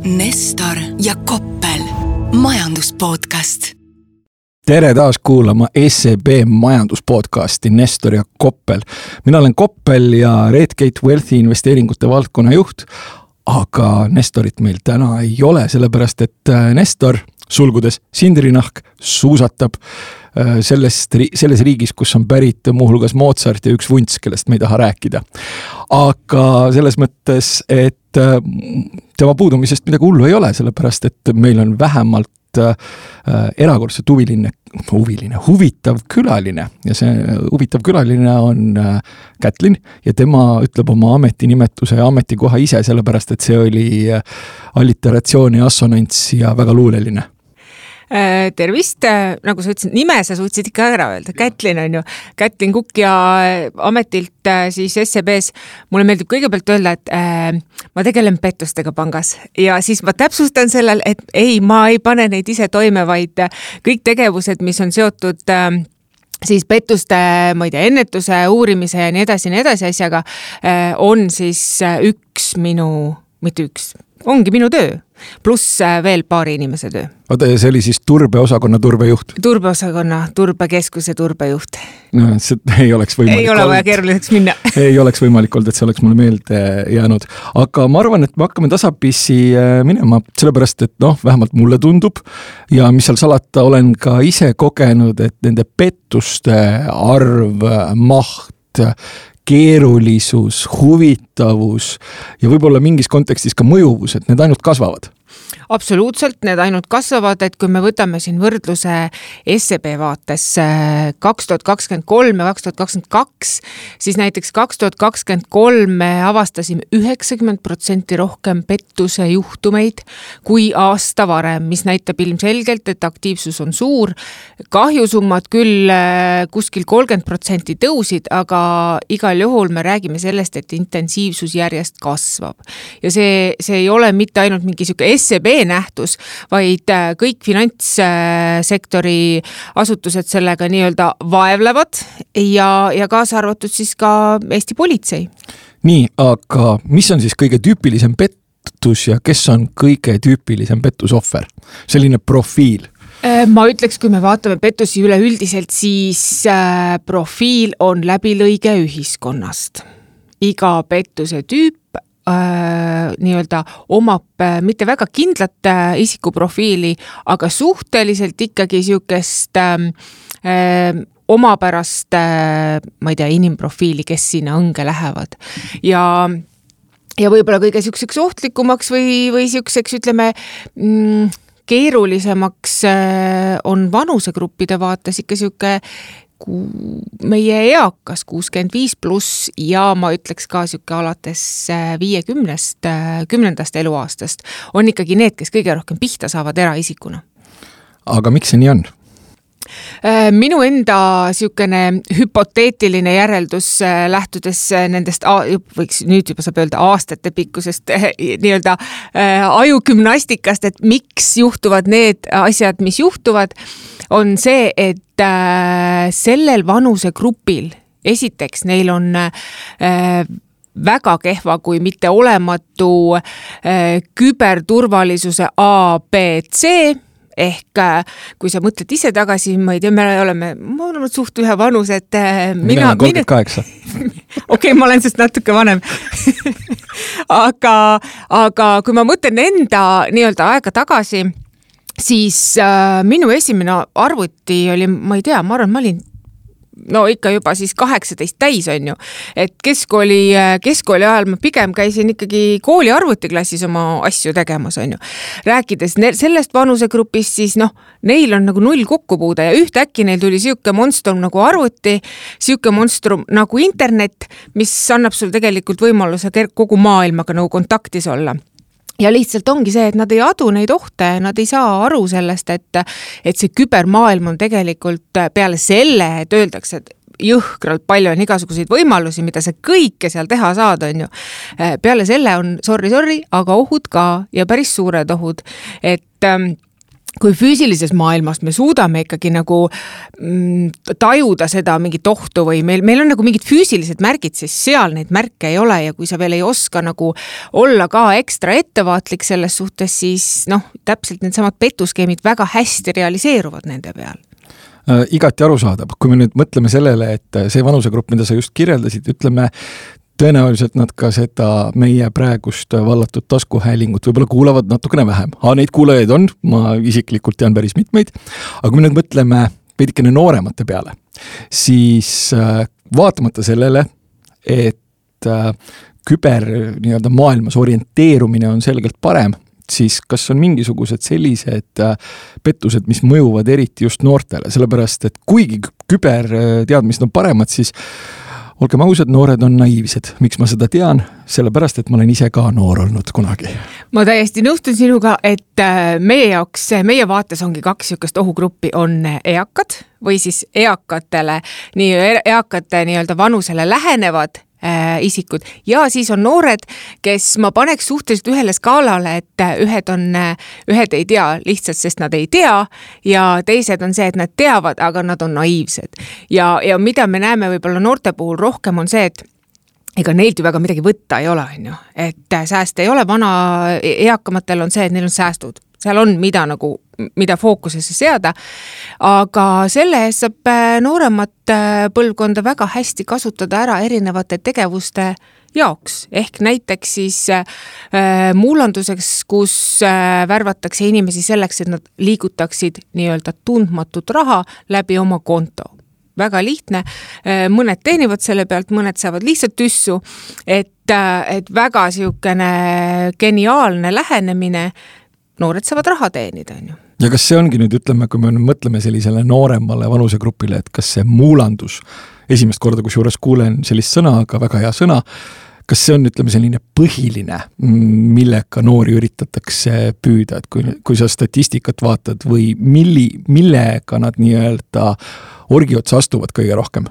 Nestor ja Koppel, majanduspodcast. Tere taas kuulama SEB majanduspodcasti Nestor ja Koppel. Mina olen Koppel ja Redgate Wealthi investeeringute valdkonna juht, aga Nestorit meil täna ei ole, sellepärast et Nestor, sulgudes Sindrinahk, suusatab selles riigis, kus on pärit muuhulgas Mozart ja üks vunts, kellest me ei taha rääkida. Aga selles mõttes, et tema puudumisest midagi hullu ei ole, sellepärast et meil on vähemalt erakordselt huvitav külaline ja see huvitav külaline on Kätlin ja tema ütleb oma ametinimetuse ja ametikoha ise, sellepärast et see oli alliteratsioon ja assonants ja väga luuleline. Tervist, nagu sa ütlesid, nime sa suutsid ikka ära öelda, Kätlin on ju, Kätlin Kukk ja ametilt siis SEBs. Mulle meeldib kõigepealt öelda, et ma tegelen pettustega pangas ja siis ma täpsustan sellel, et ma ei pane neid ise toime, vaid kõik tegevused, mis on seotud siis pettuste, ma ei tea, ennetuse, uurimise ja nii edasi asjaga, on siis ongi minu töö, pluss veel paari inimese töö. Oota, ja see oli siis turbeosakonna turbejuht? Turbeosakonna, turbekeskuse turbejuht. No, see ei oleks võimalik. Ei ole vaja keeruliseks minna. Ei oleks võimalik olnud, et see oleks mulle meelde jäänud. Aga ma arvan, et me hakkame tasapisi minema, sellepärast, et vähemalt mulle tundub ja mis seal salata, olen ka ise kogenud, et nende pettuste arv, maht, keerulisus, huvitavus ja võib-olla mingis kontekstis ka mõjuvus, et need ainult kasvavad. Absoluutselt, need ainult kasvavad, et kui me võtame siin võrdluse SEB vaates 2023 ja 2022, siis näiteks 2023 me avastasime 90% rohkem pettuse juhtumeid kui aasta varem, mis näitab ilmselgelt, et aktiivsus on suur. Kahjusummad küll kuskil 30% tõusid, aga igal juhul me räägime sellest, et intensiivsus järjest kasvab. Ja see ei ole mitte ainult mingi siuke SEB nähtus, vaid kõik finantssektori asutused sellega nii-öelda vaevlevad ja kaasa arvatud siis ka Eesti politsei. Nii, aga mis on siis kõige tüüpilisem pettus ja kes on kõige tüüpilisem pettusohver? Selline profiil. Ma ütleks, kui me vaatame pettusi üleüldiselt, siis profiil on läbilõige ühiskonnast. Iga pettuse tüüp nii-öelda omab mitte väga kindlat isikuprofiili, aga suhteliselt ikkagi siukest omapärast, ma ei tea, inimprofiili, kes sinna õnge lähevad. Ja võib-olla kõige siukseks ohtlikumaks või siukseks, ütleme, keerulisemaks on vanusegruppide vaates ikka siuke meie eakas 65+ ja ma ütleks ka siuke alates 10. eluaastast on ikkagi need, kes kõige rohkem pihta saavad eraisikuna. Aga miks see nii on? Minu enda siukene hüpoteetiline järeldus lähtudes nendest, võiks nüüd juba saab öelda aastate pikkusest nii-öelda ajugümnastikast, et miks juhtuvad need asjad, mis juhtuvad, on see, et sellel vanusegrupil esiteks neil on väga kehva, kui mitte olematu küberturvalisuse ABC, ehk kui sa mõtled ise tagasi, ma ei tea, me oleme suht ühe vanus, et mina 38. Okei, ma olen sest natuke vanem. aga kui ma mõtlen enda nii-öelda aega tagasi, siis minu esimene arvuti oli, ma ei tea, ma arvan, ma olin ikka juba siis 18 täis on ju, et keskkooli ajal ma pigem käisin ikkagi kooli arvutiklassis oma asju tegemas on ju. Rääkides sellest vanusegrupist, siis neil on nagu null kokkupuude ja ühtäkki neil tuli siuke monstrum nagu arvuti, siuke monstrum nagu internet, mis annab sul tegelikult võimaluse kogu maailmaga nagu kontaktis olla. Ja lihtsalt ongi see, et nad ei adu neid ohte, nad ei saa aru sellest, et see kübermaailm on tegelikult peale selle, et öeldakse, et jõhkralt palju on igasuguseid võimalusi, mida sa kõike seal teha saad, on ju. Peale selle on, sorry, aga ohud ka ja päris suured ohud, et kui füüsilises maailmas me suudame ikkagi nagu tajuda seda mingit ohtu või meil on nagu mingid füüsilised märgid, siis seal neid märke ei ole ja kui sa veel ei oska nagu olla ka ekstra ettevaatlik selles suhtes, siis täpselt need samad petuskeemid väga hästi realiseeruvad nende peal. Igati arusaadav, kui me nüüd mõtleme sellele, et see vanusegrupp, mida sa just kirjeldasid, ütleme, tõenäoliselt nad ka seda meie praegust vallatud taskuhäälingut võib-olla kuulavad natukene vähem. Neid kuulajaid on, ma isiklikult tean päris mitmeid, aga kui me nüüd mõtleme veidikene nooremate peale, siis vaatamata sellele, et küber maailmas orienteerumine on selgelt parem, siis kas on mingisugused sellised pettused, mis mõjuvad eriti just noortele, sellepärast et kuigi küberteadmised on paremad, siis olgem ausad, noored on naiivsed. Miks ma seda tean? Sellepärast, et ma olen ise ka noor olnud kunagi. Ma täiesti nõustun sinuga, et meie vaates ongi 2 niisugust ohugruppi, on eakad või siis eakate nii-öelda vanusele lähenevad isikud ja siis on noored, kes ma paneks suhteliselt ühele skaalale, et ühed ei tea lihtsalt, sest nad ei tea ja teised on see, et nad teavad, aga nad on naiivsed. Ja mida me näeme võib-olla noorte puhul rohkem on see, et ega neilt ju väga midagi võtta ei ole, et sääste ei ole, eakamatel on see, et neil on säästud. Seal on mida fookusesse seada, aga selle eest saab nooremat põlvkonda väga hästi kasutada ära erinevate tegevuste jaoks. Ehk näiteks siis muulanduseks, kus värvatakse inimesi selleks, et nad liigutaksid nii-öelda tundmatut raha läbi oma konto. Väga lihtne, mõned teenivad selle pealt, mõned saavad lihtsalt tüssu, et väga siukene geniaalne lähenemine, noored saavad raha teenida. Ja kas see ongi nüüd, ütleme, kui me mõtleme sellisele nooremale vanusegrupile, et kas see muulandus, esimest korda, kus juures kuulen sellist sõna, aga väga hea sõna, kas see on, ütleme, selline põhiline, millega noori üritatakse püüda, et kui sa statistikat vaatad või millega nad nii-öelda orgiotsa astuvad kõige rohkem?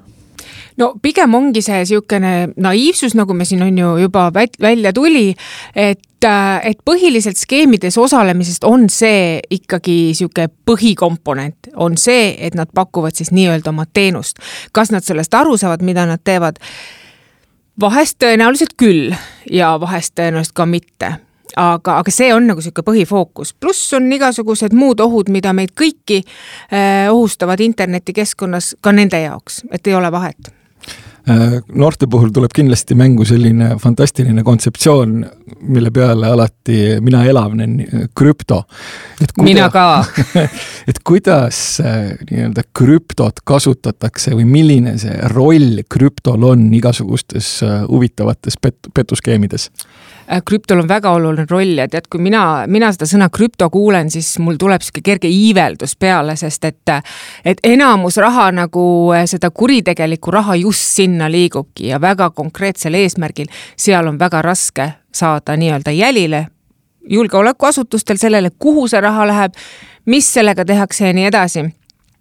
No pigem ongi see siukene naiivsus, nagu me siin on ju juba välja tuli, et põhiliselt skeemides osalemisest on see ikkagi siuke põhikomponent, on see, et nad pakuvad siis nii-öelda oma teenust. Kas nad sellest aru saavad, mida nad teevad? Vahest tõenäoliselt küll ja vahest tõenäoliselt ka mitte. Aga see on nagu siuke põhifookus. Pluss on igasugused muud ohud, mida meid kõiki ohustavad internetikeskkonnas ka nende jaoks, et ei ole vahet. Noorte puhul tuleb kindlasti mängu selline fantastiline kontseptsioon, mille peale alati mina elavnen, krüpto. Mina ka. Et kuidas nii-öelda krüptot kasutatakse või milline see roll krüptol on igasugustes huvitavates petuskeemides? Krüptol on väga oluline roll ja tead, kui mina seda sõna krüpto kuulen, siis mul tuleb siuke kerge iiveldus peale, sest et enamus raha nagu seda kuritegeliku raha just sinna liigubki ja väga konkreetsel eesmärgil. Seal on väga raske saada nii-öelda jälile julgeolekuasutustel sellele, kuhu see raha läheb, mis sellega tehakse ja nii edasi.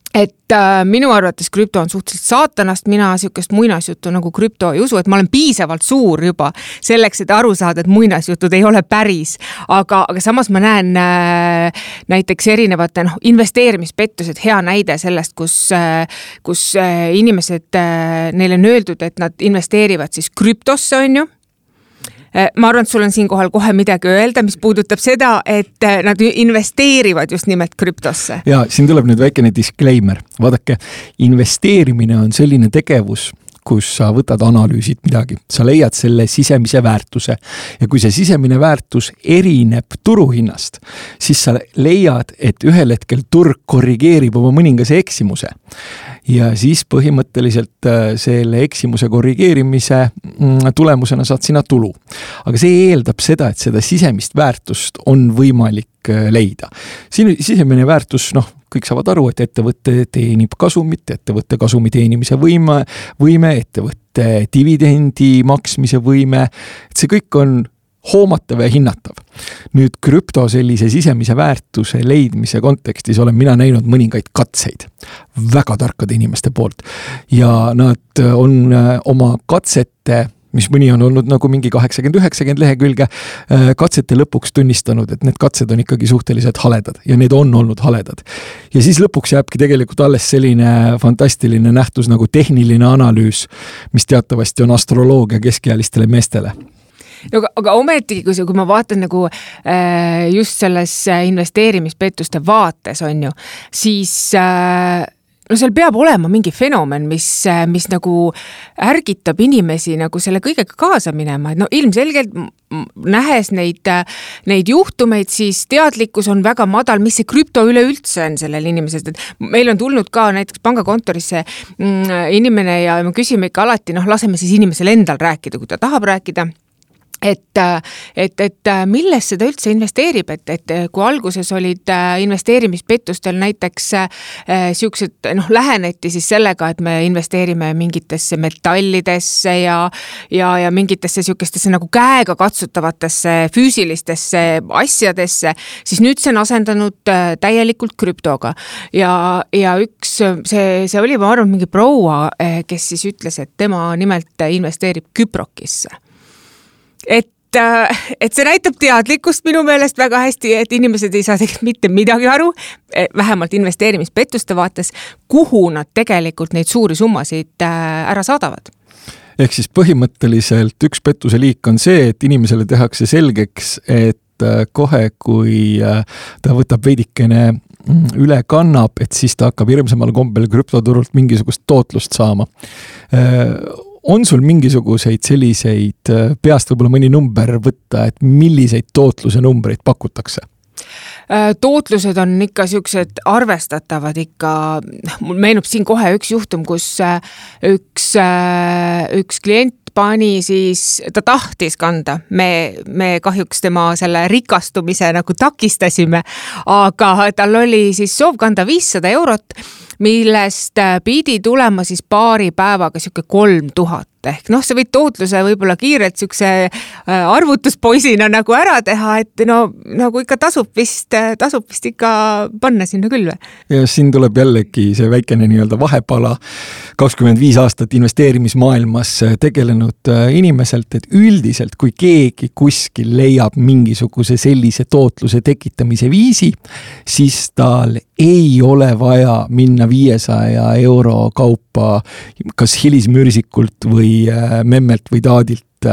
Et minu arvates krüpto on suhteliselt saatanast, mina siukest muinasjuttu nagu krüpto ei usu, et ma olen piisavalt suur juba selleks, et aru saada, et muinasjutud ei ole päris, aga samas ma näen näiteks erinevate investeerimispettused, hea näide sellest, kus inimesed, neile on öeldud, et nad investeerivad siis krüptosse, on ju. Ma arvan, et sul on siinkohal kohe midagi öelda, mis puudutab seda, et nad investeerivad just nimelt krüptosse. Ja siin tuleb nüüd väikene disclaimer. Vaadake, investeerimine on selline tegevus, kus sa võtad analüüsid midagi. Sa leiad selle sisemise väärtuse ja kui see sisemine väärtus erineb turuhinnast, siis sa leiad, et ühel hetkel turg korrigeerib oma mõningase eksimuse. Ja siis põhimõtteliselt selle eksimuse korrigeerimise tulemusena saad sina tulu. Aga see eeldab seda, et seda sisemist väärtust on võimalik leida. Sisemine väärtus, kõik saavad aru, et ettevõtte teenib kasumit, ettevõtte kasumi teenimise võime, ettevõtte dividendi maksmise võime, et see kõik on hoomatav ja hinnatav. Nüüd krüpto sellise sisemise väärtuse leidmise kontekstis olen mina näinud mõningaid katseid väga tarkade inimeste poolt ja nad on oma katsete mis mõni on olnud nagu mingi 80-90 lehekülge, katsete lõpuks tunnistanud, et need katsed on ikkagi suhteliselt haledad ja need on olnud haledad. Ja siis lõpuks jääbki tegelikult alles selline fantastiline nähtus nagu tehniline analüüs, mis teatavasti on astroloogia keskealistele meestele. No, aga ometigi, kui ma vaatan nagu just selles investeerimispettuste vaates on ju, siis no seal peab olema mingi fenomen, mis nagu ärgitab inimesi nagu selle kõigega kaasa minema. No ilmselgelt nähes neid juhtumeid, siis teadlikkus on väga madal, mis see krüpto üleüldse on sellel inimesest. Et meil on tulnud ka näiteks pangakontorisse inimene ja me küsime ikka alati, laseme siis inimesel endal rääkida, kui ta tahab rääkida. Et milles seda üldse investeerib, et kui alguses olid investeerimispettustel näiteks siuksed, läheneti siis sellega, et me investeerime mingitesse metallidesse ja mingitesse siukestesse nagu käega katsutavatesse füüsilistesse asjadesse, siis nüüd see on asendanud täielikult krüptoga. Ja üks, see oli, ma arvan, mingi proua, kes siis ütles, et tema nimelt investeerib Küprokisse. Et see näitab teadlikkust minu meelest väga hästi, et inimesed ei saa tegelikult mitte midagi aru, vähemalt investeerimispettuste vaates, kuhu nad tegelikult neid suuri summasid ära saadavad. Ehk siis põhimõtteliselt üks pettuse liik on see, et inimesele tehakse selgeks, et kohe, kui ta võtab veidikene üle kannab, et siis ta hakkab hirmsamal kombel krüptoturult mingisugust tootlust saama. On sul mingisuguseid selliseid peast võib-olla mõni number võtta, et milliseid tootluse numbreid pakutakse? Tootlused on ikka siuksed arvestatavad ikka, mul meenub siin kohe üks juhtum, kus üks klient pani siis, ta tahtis kanda, me kahjuks tema selle rikastumise nagu takistasime, aga tal oli siis soov kanda 500 eurot, millest pidi tulema siis paari päevaga siuke 3000 ehk see võid tootluse võib-olla kiirelt siukse arvutuspoisina nagu ära teha, et nagu ikka tasub vist ikka panna sinna küll. Ja siin tuleb jällegi see väikene nii-öelda vahepala 25 aastat investeerimismaailmas tegelenud inimeselt, et üldiselt kui keegi kuskil leiab mingisuguse sellise tootluse tekitamise viisi, siis tal ei ole vaja minna 500 euro kaupa kas hilismürsikult või memmelt või taadilt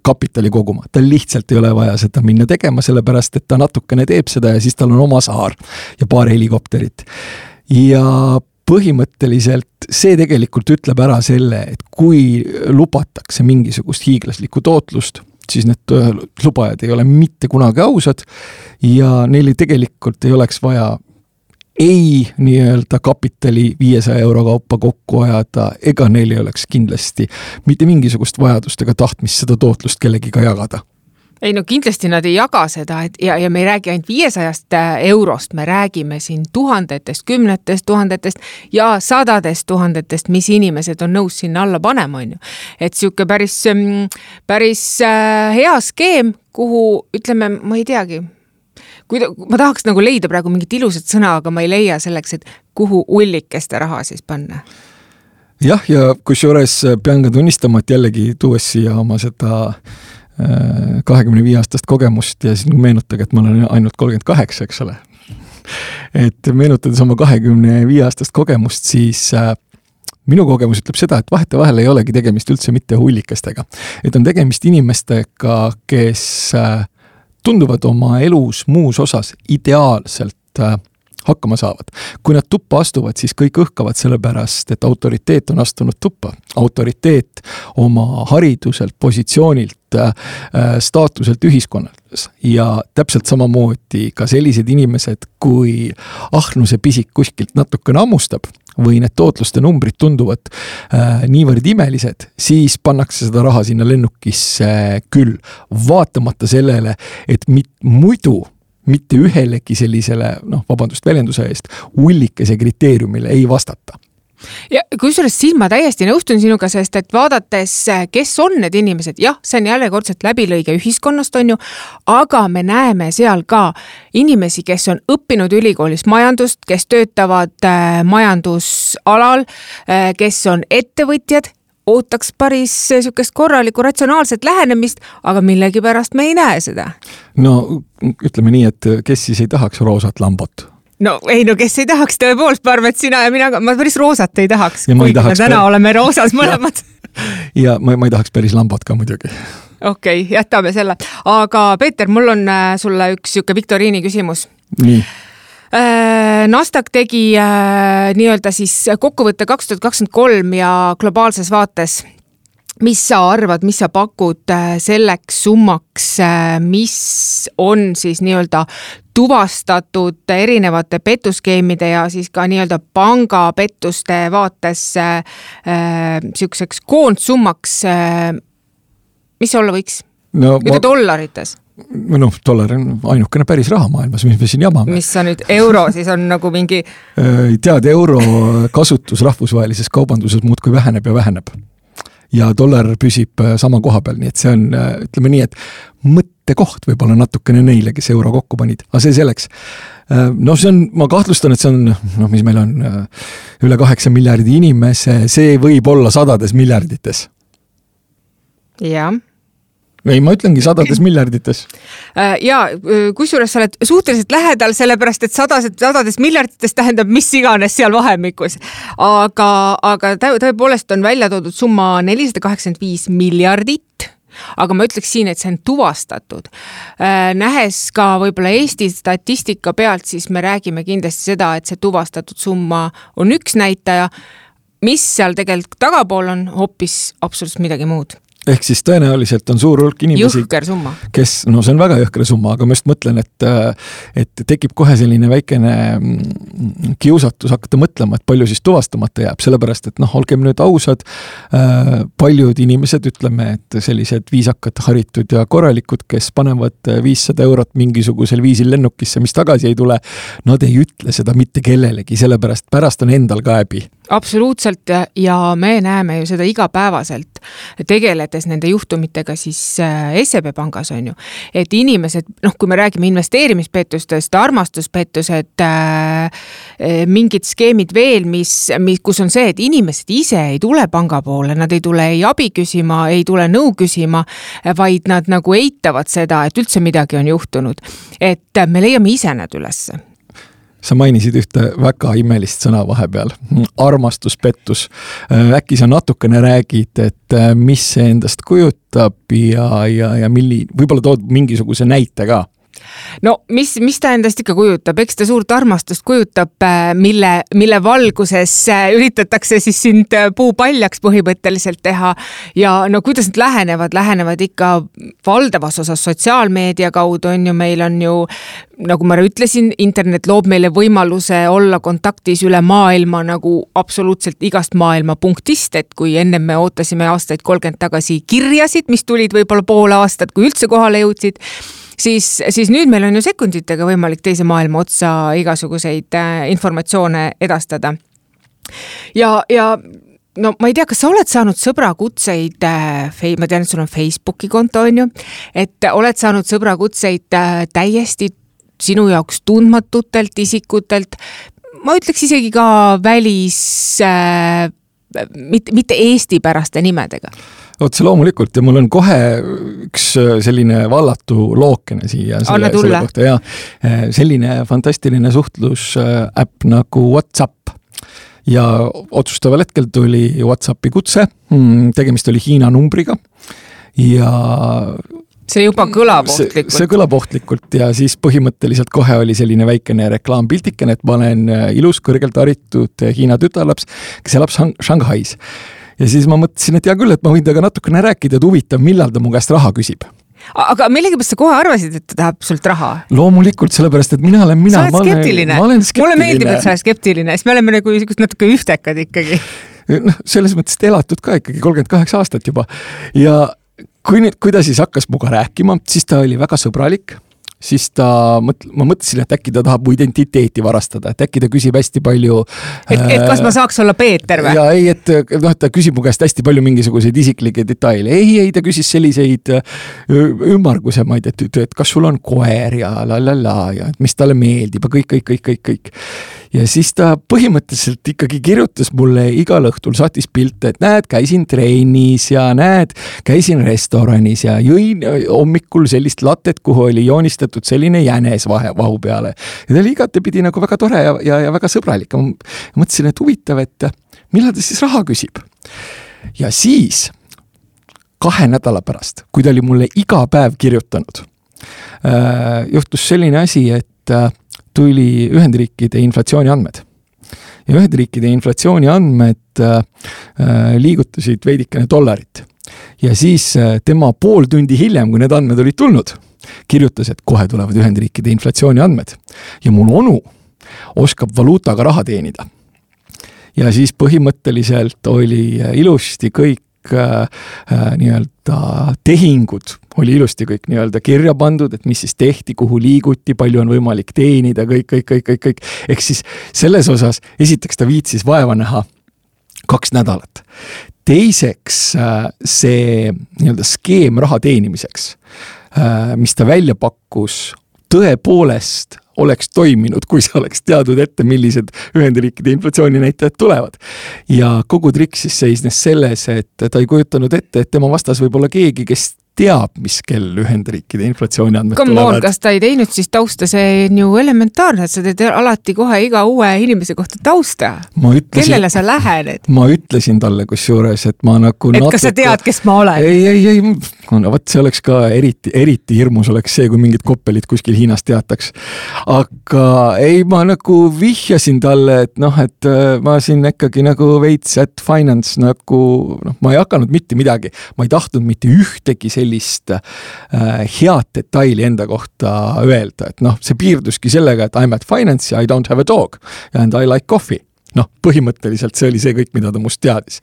kapitali koguma. Tal lihtsalt ei ole vaja seda minna tegema, sellepärast, et ta natukene teeb seda ja siis tal on oma saar ja paar helikopterit. Ja põhimõtteliselt see tegelikult ütleb ära selle, et kui lubatakse mingisugust hiiglaslikku tootlust, siis need lubajad ei ole mitte kunagi ausad ja neil tegelikult ei oleks vaja ei nii-öelda kapitali 500 euro kaupa kokku ajada, ega neil ei oleks kindlasti mitte mingisugust vajadust ega tahtmist seda tootlust kellegiga jagada. Ei kindlasti nad ei jaga seda ja me ei räägi ainult 500 eurost, me räägime siin tuhandetest, kümnetest tuhandetest ja sadadest tuhandetest, mis inimesed on nõus sinna alla panema, on ju. Et siuke päris hea skeem, kuhu ütleme, ma ei teagi, ma tahaks nagu leida praegu mingit ilusat sõna, aga ma ei leia selleks, et kuhu ullikeste raha siis panna. Jah, ja kusjuures pean ka tunnistama, et jällegi tuues siia oma seda 25 aastast kogemust ja siis meenutage, et ma olen ainult 38, eks ole. Et meenutades oma 25 aastast kogemust, siis minu kogemus ütleb seda, et vahetevahel ei olegi tegemist üldse mitte hullikestega. Et on tegemist inimestega, kes tunduvad oma elus muus osas ideaalselt hakkama saavad. Kui nad tuppa astuvad, siis kõik õhkavad sellepärast, et autoriteet on astunud tuppa. Autoriteet oma hariduselt, positsioonilt, staatuselt ühiskonnas. Ja täpselt samamoodi ka sellised inimesed, kui ahnuse pisik kuskilt natukene ammustab või need tootluste numbrid tunduvad niivõrd imelised, siis pannakse seda raha sinna lennukisse küll, vaatamata sellele, et muidu mitte ühelegi sellisele, vabandust väljenduse eest, ullikese kriteeriumile ei vastata. Ja kusjuures siin ma täiesti nõustun sinuga, sest et vaadates, kes on need inimesed, jah, see on jälle kordselt läbilõige ühiskonnast, on ju, aga me näeme seal ka inimesi, kes on õppinud ülikoolis majandust, kes töötavad majandusalal, kes on ettevõtjad, ootaks päris sükest korralikku ratsionaalset lähenemist, aga millegipärast me ei näe seda. No ütleme nii, et kes siis ei tahaks roosat lambot? No ei, no kes ei tahaks tõepoolest, ma arvan, et sina ja mina, ma päris roosat ei tahaks, kuigi me täna oleme roosas mõlemad. ja ma ei tahaks päris lambot ka muidugi. Okei, jätame selle. Aga Peeter, mul on sulle üks siuke viktoriini küsimus. Nii. Nasdaq tegi nii-öelda siis kokkuvõtte 2023 ja globaalses vaates. Mis sa arvad, mis sa pakud selleks summaks, mis on siis nii-öelda tuvastatud erinevate petuskeemide ja siis ka nii-öelda pangapettuste vaates siukseks koondsummaks, mis olla võiks? No, dollarites? No, dollar on ainukene päris raha maailmas, mis me siin jamame. Mis sa nüüd euro siis on nagu mingi... Tead, euro kasutus rahvusvahelises kaubanduses muudkui väheneb ja väheneb. Ja dollar püsib sama koha peal, nii et see on, ütleme nii, et mõttekoht võib-olla natukene neile, kes euro kokku panid. Aga see selleks. No see on, ma kahtlustan, et see on, mis meil on üle 8 miljardi inimese, see võib olla sadades miljardites. Jah. Ei, ma ütlengi sadades miljardites. Ja kusjuures sa oled suhteliselt lähedal, sellepärast, et sadades miljardites tähendab mis iganes seal vahemikus. Aga tõepoolest on välja toodud summa 485 miljardit, aga ma ütleks siin, et see on tuvastatud. Nähes ka võib-olla Eesti statistika pealt, siis me räägime kindlasti seda, et see tuvastatud summa on üks näitaja, mis seal tegelikult tagapool on hoopis absoluutselt midagi muud. Ehk siis tõenäoliselt on suur hulk inimesi, jõhker summa. Kes, no see on väga jõhker summa, aga ma just mõtlen, et tekib kohe selline väikene kiusatus hakata mõtlema, et palju siis tuvastamata jääb, sellepärast, et olgem nüüd ausad, paljud inimesed, ütleme, et sellised viisakad, haritud ja korralikud, kes panevad 500 eurot mingisugusel viisil lennukisse, mis tagasi ei tule, nad ei ütle seda mitte kellelegi, sellepärast pärast on endal ka häbi. Absoluutselt ja me näeme ju seda igapäevaselt tegeledes nende juhtumitega siis SEB pangas on ju, et inimesed, kui me räägime investeerimispettustest, armastuspettused, mingid skeemid veel, kus on see, et inimesed ise ei tule panga poole, nad ei tule ei abi küsima, ei tule nõu küsima, vaid nad nagu eitavad seda, et üldse midagi on juhtunud, et me leiame ise need ülesse. Sa mainisid ühte väga imelist sõna vahepeal, armastuspettus. Äkki sa natukene räägid, et mis see endast kujutab ja võib-olla tood mingisuguse näite ka? No mis ta endast ikka kujutab, eks ta suurt armastust kujutab, mille valguses üritatakse siis sind puupaljaks põhimõtteliselt teha ja kuidas need lähenevad ikka valdavas osas sotsiaalmeedia kaudu on ju, meil on ju, nagu ma ütlesin, internet loob meile võimaluse olla kontaktis üle maailma nagu absoluutselt igast maailma punktist, et kui enne me ootasime aastaid 30 tagasi kirjasid, mis tulid võib-olla pool aastat, kui üldse kohale jõudsid, siis nüüd meil on ju sekunditega võimalik teise maailma otsa igasuguseid informatsioone edastada. Ja no ma ei tea, kas sa oled saanud sõbrakutseid, ma tean, et sul on Facebooki konto on ju, et oled saanud sõbrakutseid täiesti sinu jaoks tundmatutelt isikutelt, ma ütleks isegi ka mitte Eesti päraste nimedega. Otse loomulikult ja mul on kohe üks selline vallatu lookene siia selle kohta ja selline fantastiline suhtlusäpp nagu WhatsApp ja otsustaval hetkel tuli WhatsAppi kutse, tegemist oli Hiina numbriga ja see juba kõlab ohtlikult. See kõlab ohtlikult ja siis põhimõtteliselt kohe oli selline väikene reklaampiltikene, et ma olen ilus, kõrgelt haritud Hiina tütarlaps, kes elab Shanghais. Ja siis ma mõtlesin, et hea küll, et ma võin temaga natukene rääkida, et huvitav, millal ta mu käest raha küsib. Aga millegipärast sa kohe arvasid, et ta tahab sult raha? Loomulikult, sellepärast, et mina olen sa oled skeptiline. Ma olen skeptiline. Mulle meeldib, et sa oled skeptiline, sest me oleme nagu natuke ühtekad ikkagi. Selles mõttes elatud ka ikkagi 38 aastat juba. Ja kui ta siis hakkas muga rääkima, siis ta oli väga sõbralik. Siis ma mõtlesin, et äkki ta tahab mu identiteeti varastada, et äkki ta küsib hästi palju... Et kas ma saaks olla Peeter või? Ja ei, et ta küsib mu käest hästi palju mingisuguseid isiklikke detaile. Ei, ta küsis selliseid ümmargusemaid, et kas sul on koer ja ja mis talle meeldib ja kõik. ja siis ta põhimõtteliselt ikkagi kirjutas mulle igal õhtul, saatis pilte, et näed, käisin trennis ja näed, käisin restoranis ja jõin hommikul sellist latet, kuhu oli joonistatud selline jänes vahu peale. Ja ta oli igatepidi nagu väga tore ja väga sõbralik. Ma mõtlesin, et huvitav, et millal ta siis raha küsib. Ja siis 2 nädala pärast, kui ta oli mulle iga päev kirjutanud, juhtus selline asi, et tuli Ühendriikide inflatsiooni andmed. Ja Ühendriikide inflatsiooni andmed liigutasid veidikene $. Ja siis tema pool tundi hiljem, kui need andmed olid tulnud, kirjutas, et kohe tulevad Ühendriikide inflatsiooni andmed. Ja mul onu oskab valuutaga raha teenida. Ja siis põhimõtteliselt oli ilusti kõik nii-öelda tehingud oli ilusti kõik nii-öelda kirja pandud, et mis siis tehti, kuhu liiguti, palju on võimalik teenida, kõik. Ehk siis selles osas esiteks ta viitsis vaeva näha 2 nädalat. Teiseks see nii-öelda skeem raha teenimiseks, mis ta välja pakkus, tõepoolest oleks toiminud, kui sa oleks teadnud ette, millised Ühendriikide inflatsiooninäitajad tulevad. Ja kogu trikk siis seisnes selles, et ta ei kujutanud ette, et tema vastas võib olla keegi, kes teab, mis kell Ühendriikide inflatsiooni andmed tulevad. Kas ta ei teinud siis tausta, see on ju elementaarne, et sa teed alati kohe iga uue inimese kohta tausta. Kellele sa lähened? Ma ütlesin talle kusjuures, et ma nagu et kas sa tead, kes ma olen? Ei. No, see oleks ka eriti hirmus oleks see, kui mingid koppelit kuskil Hiinas teataks. Aga ei, ma nagu vihjasin talle, et et ma siin ikkagi nagu veits at finance nagu, ma ei hakanud mitte midagi. Ma ei tahtnud mitte ühtegi sellist head detaili enda kohta öelda, et see piirduski sellega, et I'm at finance ja I don't have a dog and I like coffee. Põhimõtteliselt see oli see kõik, mida ta must teadis.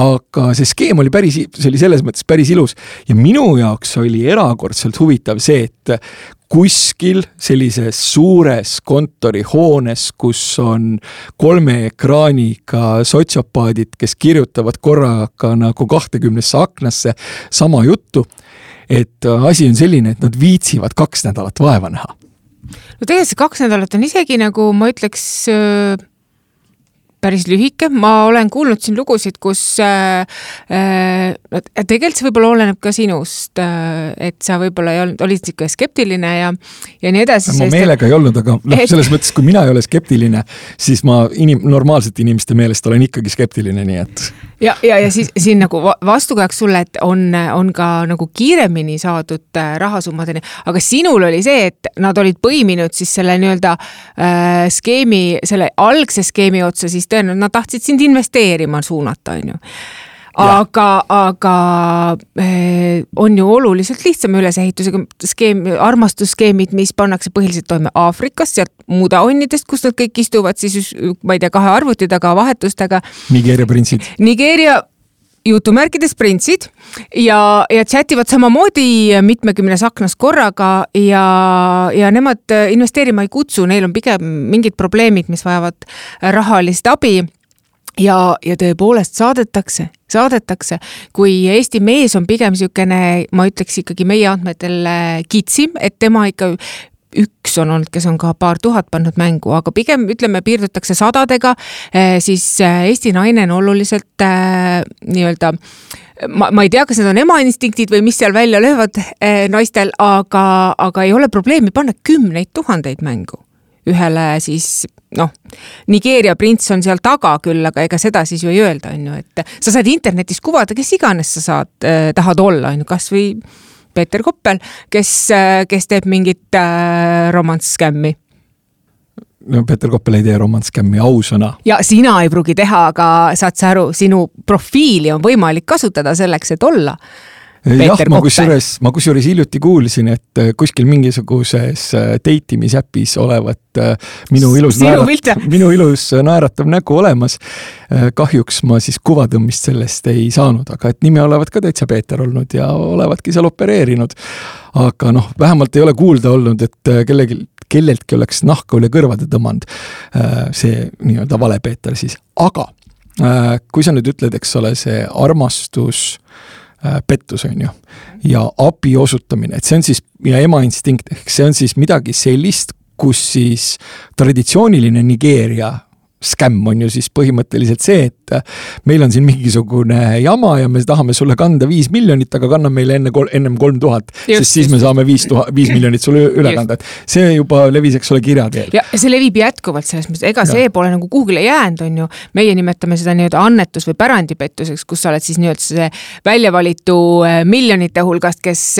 Aga see skeem oli see oli selles mõttes päris ilus ja minu jaoks oli erakordselt huvitav see, et kuskil sellises suures kontorihoones, kus on 3 ekraaniga sotsiopaadid, kes kirjutavad korraga nagu 20 aknasse sama juttu, et asi on selline, et nad viitsivad 2 nädalat vaeva näha. No tegelikult see 2 nädalat on isegi nagu, ma ütleks, päris lühike. Ma olen kuulnud siin lugusid, kus tegelikult see võib-olla oleneb ka sinust, et sa võib-olla olid ikka skeptiline ja nii edasi. Ma meelega ei olnud, aga selles mõttes, kui mina ei ole skeptiline, siis ma normaalsete inimeste meelest olen ikkagi skeptiline, nii et... Ja siis siin nagu vastukajaks sulle, et on ka nagu kiiremini saadud rahasummadeni, aga sinul oli see, et nad olid põiminud siis selle nii-öelda skeemi, selle algse skeemi otsa, siis tõenäoliselt nad tahtsid sind investeerima suunata, on ju. Aga on ju oluliselt lihtsam ülesehitusega armastusskeemid, mis pannakse põhiliselt toime Aafrikas, sealt mudaonnidest, kus nad kõik istuvad, siis ma ei tea, 2 arvuti taga vahetustega. Nigeeria printsid. Nigeeria jutumärkides printsid ja chativad samamoodi mitmekümnes aknas korraga ja nemad investeerima ei kutsu, neil on pigem mingid probleemid, mis vajavad rahalist abi. Ja tõepoolest saadetakse, kui Eesti mees on pigem siukene, ma ütleks ikkagi meie andmetel kitsim, et tema ikka üks on olnud, kes on ka paar tuhat pannud mängu, aga pigem ütleme piirdutakse 100-dega, siis Eesti naine on oluliselt nii-öelda, ma ei tea, kas need on emainstiktid või mis seal välja löövad naistel, aga ei ole probleemi panna 10 000 mängu. Ühele siis, Nigeeria prints on seal taga küll, aga ega seda siis ju ei öelda, on ju, et sa saad internetis kuvada, kes iganes sa tahad olla, on ju, kas või Peeter Koppel, kes teeb mingit romantskämmi. No Peeter Koppel ei tee romantskämmi, ausõna. Ja sina ei pruugi teha, aga saad sa aru, sinu profiili on võimalik kasutada selleks, et olla Peeter Koppel. Ma kusjuures hiljuti kuulsin, et kuskil mingisuguses deitimisäpis olevat minu ilus naeratav nägu olemas. Kahjuks ma siis kuvatõmmist sellest ei saanud, aga et nime olevat ka täitsa Peeter olnud ja olevatki seal opereerinud. Aga vähemalt ei ole kuulda olnud, et kelleltki oleks nahka üle kõrvade tõmmanud see nii-öelda vale Peeter siis. Aga kui sa nüüd ütled, eks ole, see armastus pettus on ju ja abi osutamine, et see on siis ja emainstinkt, ehk see on siis midagi sellist, kus siis traditsiooniline Nigeeria skämm on ju siis põhimõtteliselt see, et meil on siin mingisugune jama ja me tahame sulle kanda 5 miljonit, aga kanna meile ennem 3000, sest siis me saame 5 miljonit sulle üle kanda. See juba levis, eks ole, kirjateel. Ja see levib jätkuvalt selles mõttes, ega see pole nagu kuhugile jäänud on ju. Meie nimetame seda nii-öelda annetus või pärandipettuseks, kus sa oled siis nii-öelda see väljavalitu miljonite hulgast, kes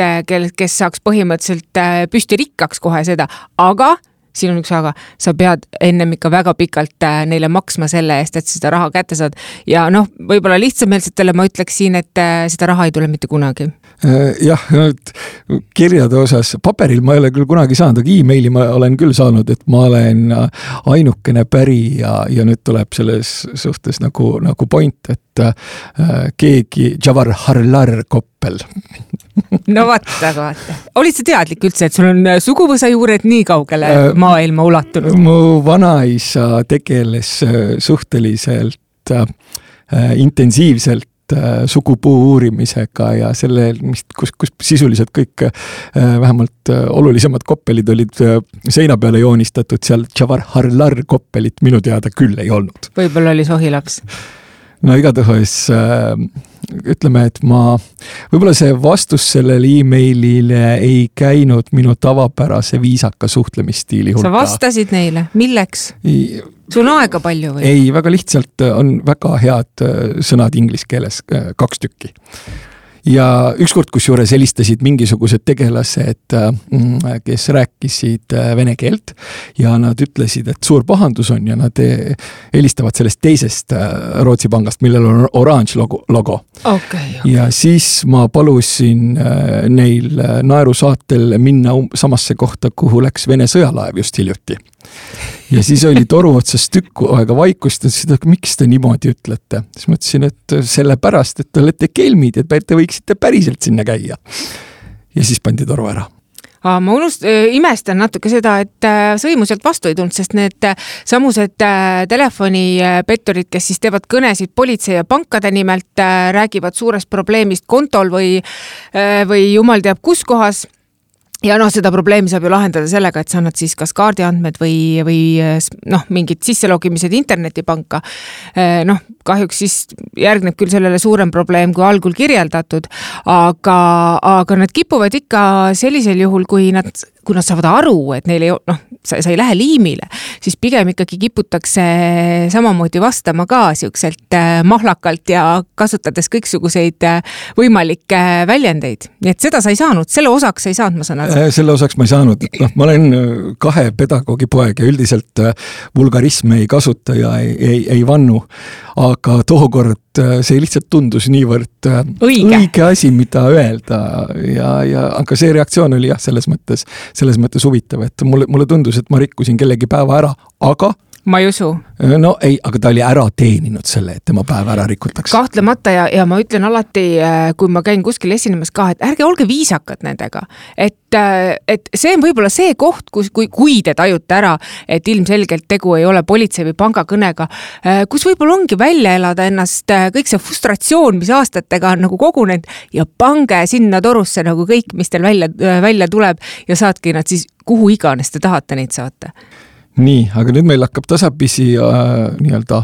saaks põhimõtteliselt püsti rikkaks kohe seda, aga siin on üks aga, sa pead ennem ikka väga pikalt neile maksma selle eest, et seda raha kätte saad. Ja noh, võib-olla lihtsameelsetele ma ütleks siin, et seda raha ei tule mitte kunagi. Jah, kirjade osas, paberil ma ei ole küll kunagi saanud, aga e-maili ma olen küll saanud, et ma olen ainukene päri ja nüüd tuleb selles suhtes nagu point, et keegi Javar Harlar Koppel. No vaata. Olid sa teadlik üldse, et sul on suguvõsa juured nii kaugele maailma ulatunud? Mu vanaisa tegeles suhteliselt intensiivselt sugupuu uurimisega ja selle, kus sisuliselt kõik vähemalt olulisemad koppelid olid seina peale joonistatud, seal Javar Harlar koppelit minu teada küll ei olnud. Võib-olla oli sohilaps. No igatahes ütleme, et võib-olla see vastus sellele e-mailile ei käinud minu tavapärase viisaka suhtlemisstiili hulka. Sa vastasid neile? Milleks? Sul on aega palju või? Ei, väga lihtsalt on väga head sõnad inglise keeles, 2 tükki. Ja ükskord, kus juures helistasid mingisugused tegelased, kes rääkisid vene keelt ja nad ütlesid, et suur pahandus on ja nad helistavad sellest teisest Rootsi pangast, millel on orange logo. Okay. Ja siis ma palusin neil naerusaatel minna samasse kohta, kuhu läks Vene sõjalaev just hiljuti. Ja siis oli toru otsas tükku aega vaikust, et miks te niimoodi ütlete? Siis mõtlesin, et sellepärast, et te olete kelmid, et te võiksite päriselt sinna käia. Ja siis pandi toru ära. Ma imestan natuke seda, et sõimu sealt vastu ei tulnud, sest need samused telefonipetturid, kes siis teevad kõnesid politsei ja pankade nimelt, räägivad suurest probleemist kontol või jumal teab kus kohas. Ja seda probleemi saab ju lahendada sellega, et sa annad siis kas kaardiandmed või mingid sisselogimised internetipanka. Kahjuks siis järgneb küll sellele suurem probleem kui algul kirjeldatud, aga nad kipuvad ikka sellisel juhul, kui nad saavad aru, et neil sa ei lähe liimile, siis pigem ikkagi kiputakse samamoodi vastama ka siukselt mahlakalt ja kasutades kõiksuguseid võimalikke väljendeid. Nii et seda sa ei saanud, selle osaks sa ei saanud, ma saan aru. Selle osaks ma ei saanud. Ma olen 2 pedagoogi poeg ja üldiselt vulgarisme ei kasuta ja ei vannu, aga tookord see lihtsalt tundus niivõrd õige asi, mida öelda aga see reaktsioon oli jah, selles mõttes huvitav, et mulle tundus, et ma rikkusin kellegi päeva ära, aga ma ei usu. No ei, aga ta oli ära teeninud selle, et tema päeva ära rikutakse. Kahtlemata ja ma ütlen alati, kui ma käin kuskil esinemas ka, et ärge olge viisakad nendega. Et see on võib-olla see koht, kui te tajute ära, et ilmselgelt tegu ei ole politsei või pangakõnega, kus võib-olla ongi välja elada ennast kõik see frustratsioon, mis aastatega on nagu kogunenud ja pange sinna torusse nagu kõik, mis teil välja tuleb ja saatke nad siis kuhu iganes te tahate neid saata. Nii, aga nüüd meil hakkab tasapisi nii-öelda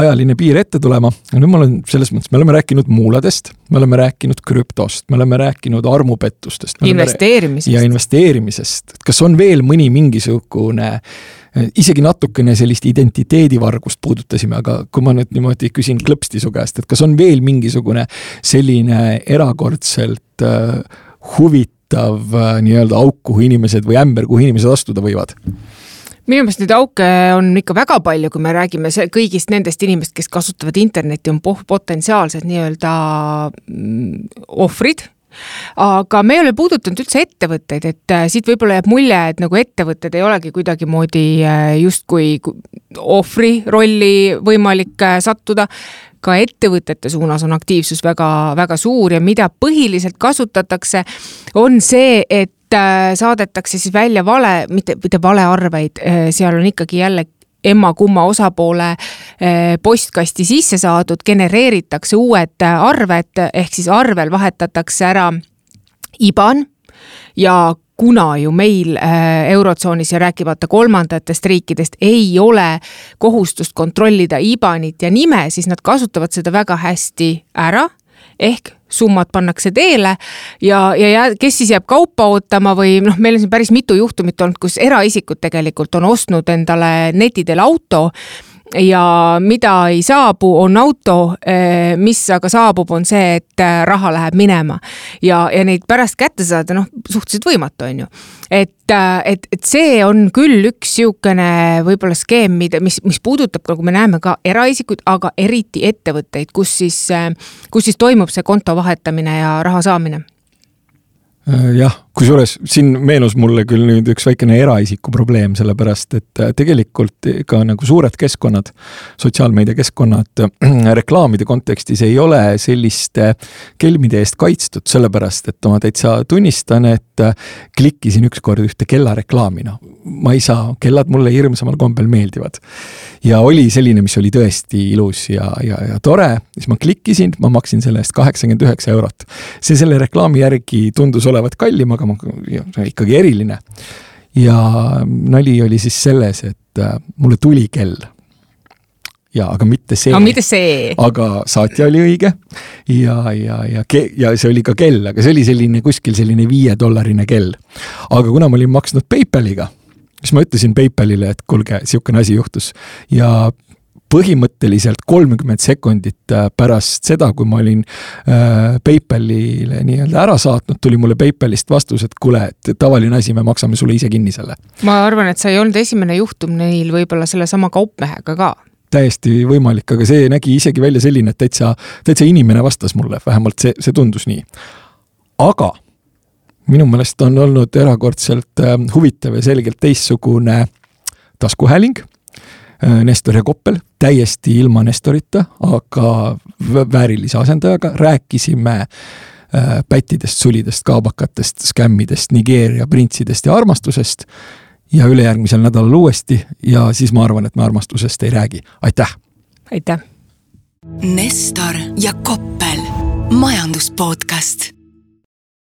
ajaline piir ette tulema. Ja nüüd selles mõttes, me oleme rääkinud muuladest, me oleme rääkinud krüptost, me oleme rääkinud armupettustest. Investeerimisest. Ja investeerimisest. Kas on veel mõni mingisugune, isegi natukene sellist identiteedivargust puudutasime, aga kui ma nüüd niimoodi küsin klõpsti su käest, et kas on veel mingisugune selline erakordselt huvitav nii-öelda auk, kuhu inimesed või ämber, kuhu inimesed astuda võivad? Minu meelest neid auke on ikka väga palju, kui me räägime kõigist nendest inimest, kes kasutavad internetti, on potentsiaalsed nii-öelda ohvrid. Aga me ei ole puudutanud üldse ettevõtteid, et siit võib-olla jääb mulje, et nagu ettevõtted ei olegi kuidagi moodi justkui ohvri rolli võimalik sattuda. Ka ettevõtete suunas on aktiivsus väga, väga suur ja mida põhiliselt kasutatakse, on see, et saadetakse siis välja mitte valearveid, seal on ikkagi jälle emma-kumma osapoole postkasti sisse saadud, genereeritakse uued arved, ehk siis arvel vahetatakse ära IBAN ja kuna ju meil Eurotsoonis ja rääkimata kolmandatest riikidest ei ole kohustust kontrollida IBANit ja nime, siis nad kasutavad seda väga hästi ära, ehk summad pannakse teele ja kes siis jääb kaupa ootama või meil on siin päris mitu juhtumit olnud, kus eraisikud tegelikult on ostnud endale netidel auto ja mida ei saabu, on auto, mis aga saabub, on see, et raha läheb minema ja neid pärast kätte saada, suhteliselt võimatu on ju. Et see on küll üks siukene võib-olla skeem, mis puudutab, kui me näeme ka eraisikuid, aga eriti ettevõtteid, kus siis toimub see konto vahetamine ja raha saamine. Jah, kusjuures siin meenus mulle küll nüüd üks väikene eraisiku probleem, sellepärast, et tegelikult ka nagu suured keskkonnad, sotsiaalmeedia keskkonnad reklaamide kontekstis ei ole selliste kelmide eest kaitstud, sellepärast, et ma täitsa tunnistan, et klikkisin ükskord ühte kellareklaami. Ma ei saa, kellad mulle hirmsamal kombel meeldivad. Ja oli selline, mis oli tõesti ilus ja tore, siis ma klikkisin, ma maksin selle eest 89 €. See selle reklaami järgi tundus olevat kallim, aga see on ikkagi eriline. Ja nali oli siis selles, et mulle tuli kell. Aga mitte see. Aga saatja oli õige ja see oli ka kell, aga see oli selline kuskil selline $5 kell. Aga kuna ma olin maksnud PayPaliga, siis ma ütlesin PayPalile, et kuulge, siukene asi juhtus ja põhimõtteliselt 30 sekundit pärast seda, kui ma olin PayPalile nii-öelda ära saatnud, tuli mulle PayPalist vastus, et kuule, et tavaline asi, me maksame sulle ise kinni selle. Ma arvan, et sa ei olnud esimene juhtum neil võib-olla selle sama kaupmehega ka. Täiesti võimalik, aga see nägi isegi välja selline, et täitsa inimene vastas mulle, vähemalt see tundus nii. Aga minu meelest on olnud erakordselt huvitav ja selgelt teistsugune taskuhääling, Nestor ja Koppel, täiesti ilma Nestorita, aga väärilise asendajaga rääkisime pättidest, sulidest, kaabakatest, skämmidest, Nigeeria printsidest ja armastusest ja ülejärgmisel nädalal uuesti ja siis ma arvan, et me armastusest ei räägi. Aitäh! Aitäh! Nestor ja Koppel, majanduspodcast.